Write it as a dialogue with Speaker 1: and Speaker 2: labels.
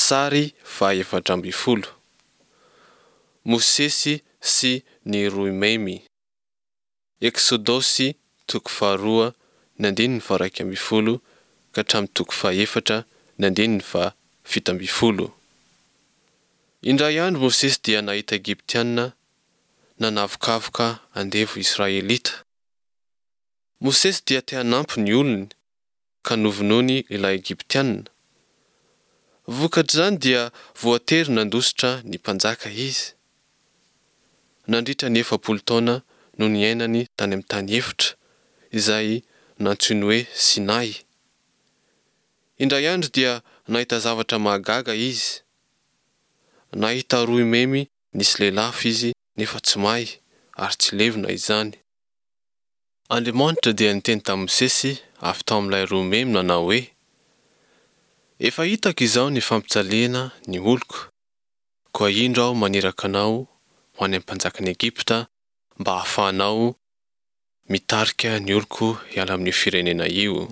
Speaker 1: Sary faha-14. Mosesy sy ny Roimemy. Eksodosy toko faharoa ny andininy faha-11 ka hatramin'ny toko fahaefatra ny andininy faha-17. Indray andro Mosesy dia nahita Egyptiana nanavokavoka andevo Israelita. Mosesy dia te hanampy ny olony, ka novonoiny ilay Egyptiana. Vokatr'izany dia voatery nandositra ny mpanjaka izy. Nandritra ny 40 taona no niainany tany amin'ny tany efitra, izay nantsoiny hoe Sinay. Indray andro dia nahita zavatra mahagaga izy. Nahita roimemy nisy lelafo izy nefa tsy may ary tsy levona izany. Andriamanitra dia niteny tamin'i Mosesy avy tao amin'ilay roimemy nanao hoe, Efa hitako izao ny fampijaliana ny oloko, koa indro aho maniraka anao ho any amin'ny mpanjakan'i Egypta mba hahafahanao mitarika ny oloko hiala amin'io firenena io.